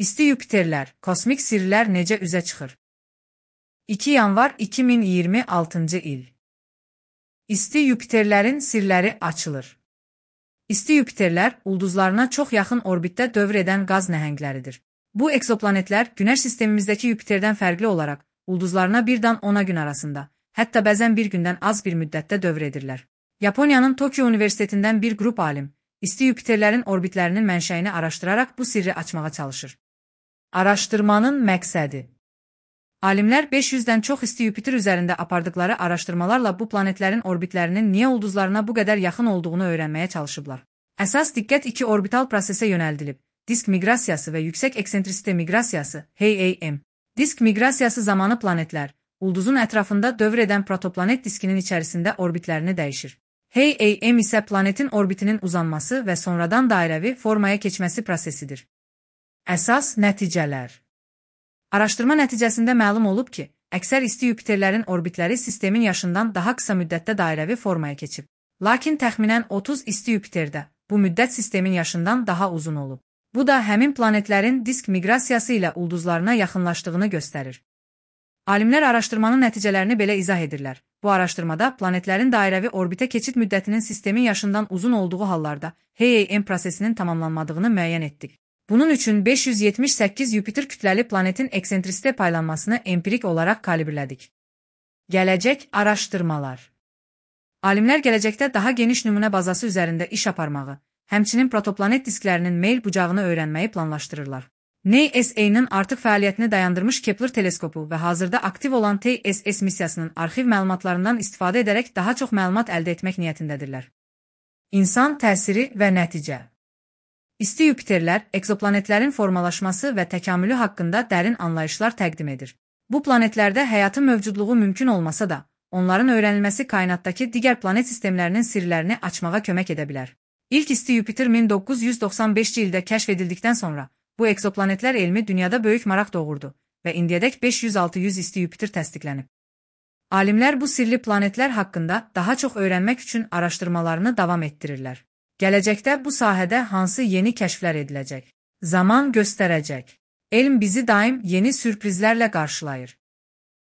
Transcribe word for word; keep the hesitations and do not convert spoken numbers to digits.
İsti Yupiterlər, kosmik sirlər necə üzə çıxır? iki yanvar iki min iyirmi altıncı il. İsti Yupiterlərin sirləri açılır. İsti Yupiterlər ulduzlarına çox yaxın orbitdə dövr edən qaz nəhəngləridir. Bu eksoplanetlər Günəş sistemimizdəki Yupiterdən fərqli olaraq ulduzlarına birdən ona gün arasında, hətta bəzən bir gündən az bir müddətdə dövr edirlər. Yaponiyanın Tokyo Universitetindən bir qrup alim, isti Yupiterlərin orbitlərinin mənşəyini araşdıraraq bu sirri açmağa çalışır. Araşdırmanın məqsədi. Alimlər beş yüzdən çox isti Yupiter üzərində apardıqları araşdırmalarla bu planetlərin orbitlərinin niyə ulduzlarına bu qədər yaxın olduğunu öyrənməyə çalışıblar. Əsas diqqət iki orbital prosesə yönəldilib: disk miqrasiyası və yüksək eksentrisite miqrasiyası (H A M). Disk miqrasiyası zamanı planetlər, ulduzun ətrafında dövr edən protoplanet diskinin içərisində orbitlərini dəyişir. H A M isə planetin orbitinin uzanması və sonradan dairəvi formaya keçməsi prosesidir. Əsas nəticələr. Araşdırma nəticəsində məlum olub ki, əksər isti Yupiterlərin orbitləri sistemin yaşından daha qısa müddətdə dairəvi formaya keçib. Lakin təxminən otuz isti Yupiterdə bu müddət sistemin yaşından daha uzun olub. Bu da həmin planetlərin disk miqrasiyası ilə ulduzlarına yaxınlaşdığını göstərir. Alimlər araşdırmanın nəticələrini belə izah edirlər. Bu araşdırmada planetlərin dairəvi orbitə keçid müddətinin sistemin yaşından uzun olduğu hallarda H A M prosesinin tamamlanmadığını müəyyən etdik. Bunun üçün beş yüz yetmiş səkkiz Yupiter kütləli planetin eksentrisite paylanmasını empirik olaraq kalibrlədik. Gələcək araşdırmalar. Alimlər gələcəkdə daha geniş nümunə bazası üzərində iş aparmağı, həmçinin protoplanet disklərinin meyl bucağını öyrənməyi planlaşdırırlar. NASA'nın artıq fəaliyyətini dayandırmış Kepler teleskopu və hazırda aktiv olan T S S missiyasının arxiv məlumatlarından istifadə edərək daha çox məlumat əldə etmək niyyətindədirlər. İnsan təsiri və nəticə. İsti Yupiterlər, eksoplanetlərin formalaşması və təkamülü haqqında dərin anlayışlar təqdim edir. Bu planetlərdə həyatın mövcudluğu mümkün olmasa da, onların öyrənilməsi kainatdakı digər planet sistemlərinin sirlərini açmağa kömək edə bilər. İlk isti Yupiter min doqquz yüz doxsan beşinci ildə kəşf edildikdən sonra, bu eksoplanetlər elmi dünyada böyük maraq doğurdu və indiyədək beş yüz altı yüz isti Yupiter təsdiqlənib. Alimlər bu sirli planetlər haqqında daha çox öyrənmək üçün araşdırmalarını davam etdirirlər. Gələcəkdə bu sahədə hansı yeni kəşflər ediləcək? Zaman göstərəcək. Elm bizi daim yeni sürprizlərlə qarşılayır.